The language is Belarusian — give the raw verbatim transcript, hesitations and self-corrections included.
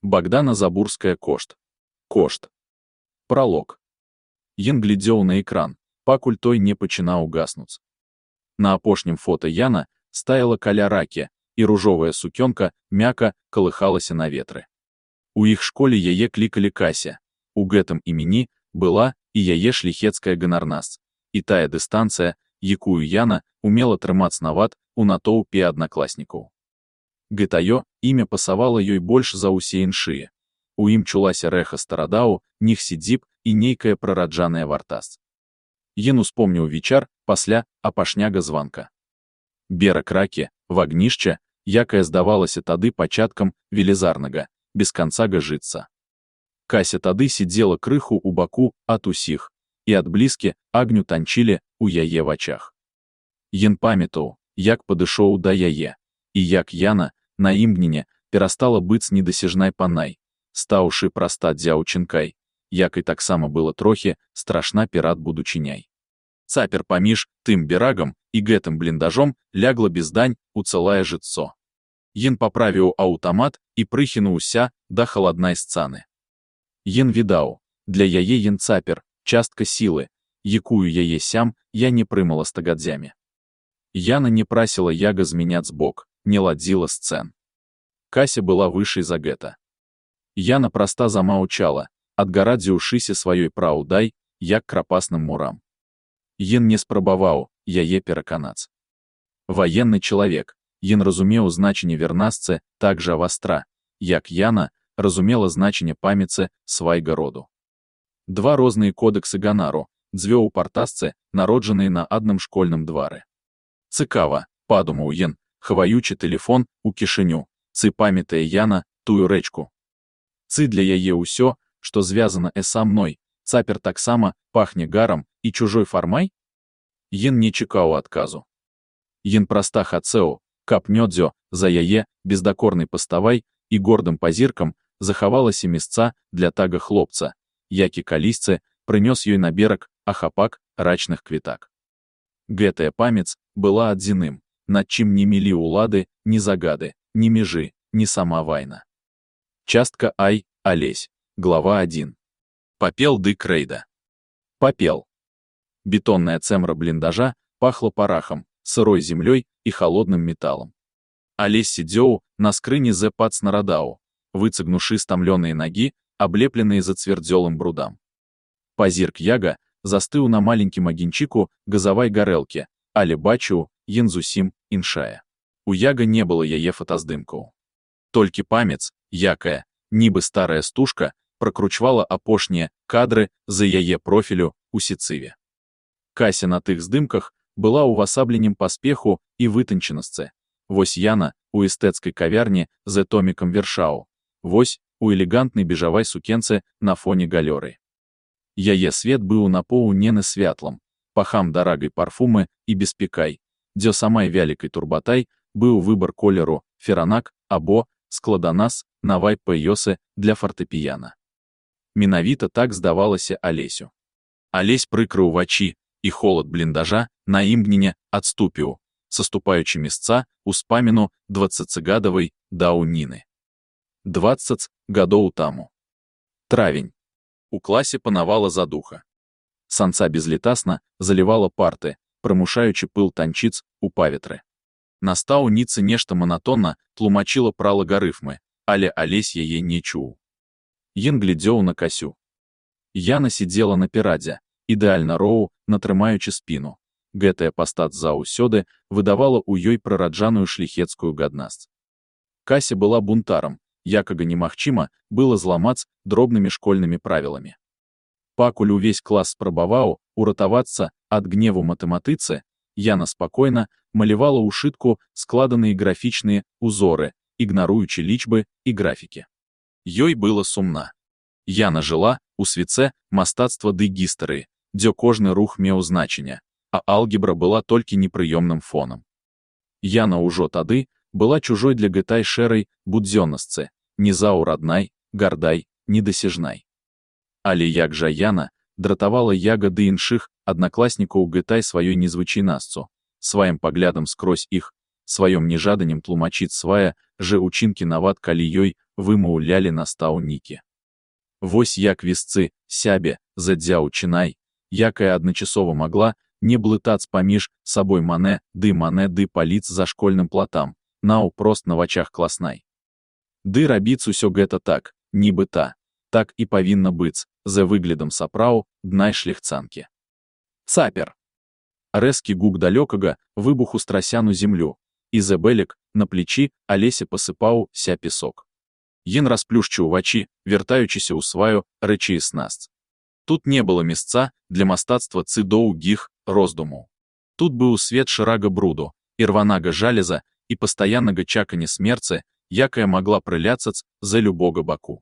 Богдана Забурская кошт. Кошт. Пролог. Ен глядзеў на экран, пакуль той не пачынаў гаснуць. На апошнім фота Яна стаяла каля ракі, і ружовая сукёнка мякка калыхалася на ветры. У іх школе яе клікалі Кася. У гэтым імені была і яе шляхецкая ганарнасць, і тая дыстанцыя, якую Яна умела трымаць нават у натоўпе аднакласнікаў. Гэтаё імя пасавала ёй больш за ўсе іншыя. У ім чулася рэха старадаў, ніх сідзіб і нейкая прараджаная вартасць. Ен успомніў вечар пасля апашняга званка. Бераг ракі, вагнішча, якае здавалася тады пачаткам велізарнага, без канца гажыцца. Кася тады сидзела крыху у баку ад усіх, і ад блізкі агню танчылі у яе вачах. Ен памятаў, як падышоў да яе, і як Яна на імгненне перастала быць недасяжнай панай, стаўшы праста дзяўчынкай, як і таксама было трохі страшна перад будучыняй. Цапер паміж тым берагам і гэтым бліндажом лягла без дань у цэлае жыццё. Ен паправіў аўтамат і прыхінуўся да халаднай сцаны. Ен відаў, для яе ен цапер, частка сілы, якую яе сям я не прымала стагадзямі. Яна не прасіла яга змяняць бок, не ладзіла сцэн. Кася была вышэй за гэта. Яна проста замаўчала, адгарадзіўшыся сваёй праўдай, як крапасным мурам. Ен не спрабаваў яе пераканаць. Ваенны чалавек, ен разумеў значэнне вернасцы так жа вастра, як Яна разумела значэнне памяці свайга роду. Два розныя кодэксы ганару, дзве ў партасцы, народжаныя на адным школьным двары. Цікава, падумаў ен, хаваючы тэлефон у кішэню, цы памятае Яна тую рэчку. Цы для яе ўсё, што звязана э са мной, цапер таксама пахне гарам і чужой фармай? Ен не чакаў адказу. Ен праста хацеў, каб нёдзё за яе бездакорнай паставай і гордым пазіркам захавалася месца для тага хлопца, які калісьці прынёс ёй на бераг ахапак рачных квітак. Гэтая памяць была адзіным, над чым не мелі ўлады, ні загады, ні межы, ні сама вайна. Частка Ай, Алесь, глава адзін. Папел ды крэйда. Папел. Бетонная цэмра бліндажа пахла парахам, сырой землёй і халодным металам. Алесь сидзеў на скрыні з пад снарадаў, выцягнуўшы стамлёныя нагі, аблепленыя зацвярдзёлым брудам. Пазірк яга застыў на маленькім агеньчыку газавай гарэлкі, але бачыў, ен зусім іншая. У яга не было яе фотаздымкаў. Толькі памяць, якая, нібы старая стужка, пракручвала апошнія кадры за яе профілю у сецыве. Кася на тых здымках была ўвасабленнем паспеху і вытанчанасці. Вось Яна у эстэцкай кавярні з томікам вершаў. Вось у элегантнай бежавай сукенцы на фоне галёры. Яе свет быў напоўнены святлам, пахам дарагай парфумы і беспекай, дзе самай вялікай турбатай быў выбар колеру феранак або складанас навай пэёсы для фартэпіяна. Менавіта так здавалася Алесю. Алесь прыкрыў вачі, і холад бліндажа на імгненне адступіў, саступаючы месца ўспаміну дваццацігадавай даўніны. Дваццаць гадоў таму. Травень. У класе панавала задуха. Санца безлітасна залівала парты, прымушаючы пыл танчыць у паветры. Настаўніца нешта манатонна тлумачыла пра лагарыфмы, але Алесь яе не чуў. Ен глядзеў на Касю. Яна сидзела на перадзе, ідэальна роў, натрымаючы спіну. Гэтая пастаць заўсёды выдавала ў ёй прараджаную шляхецкую гаднасць. Кася была бунтарам, якага немагчыма было зламаць дробнымі школьнымі правіламі. Пакуль увесь клас спрабаваў уратавацца ад гневу матэматыцы, Яна спакойна малявала ў шытку складаныя графічныя узоры, ігнаруючы лічбы і графікі. Ёй было сумна. Яна жыла у свіце мастацтва ды гістарыі, дзе кожны рух меў значэнне, а алгебра была толькі непрыёмным фонам. Яна ўжо тады была чужой для гэтай шэрай будзённасцы, незаўраднай, гардай, недасяжнай. Але як жа Яна дратавала яга ды іншых аднакласнікаў гэтай сваёй незвычайнасцю, сваім паглядам скрозь іх, сваём нежаданнем тлумачыць свая же учынкі нават калі ёй вымаўлялі настаўнікі. Вось як весцы сябе задзяў чынай, якая адначасова магла не блытаць паміж сабой мане ды мане ды паліц за школьным платам, наўпрост на вачах класнай. Ды рабіць усё гэта так, нібыта, так і павінна быць, за выглядам сапраў днай шляхцанкі. Цапер. Рэзкі гук далёкага выбуху страсяну землю, і зэбэлек на плечі Алесе пасыпаў ся песок. Ён расплюшчыў вачі, вяртаючыся ў сваю рэчаіснасць. Тут не было месца для мастацтва цы доўгіх роздумаў. Тут быў свет шырага бруду, ірванага жалеза і пастаяннага чакання смерці, якая магла прыляцаць за любога баку.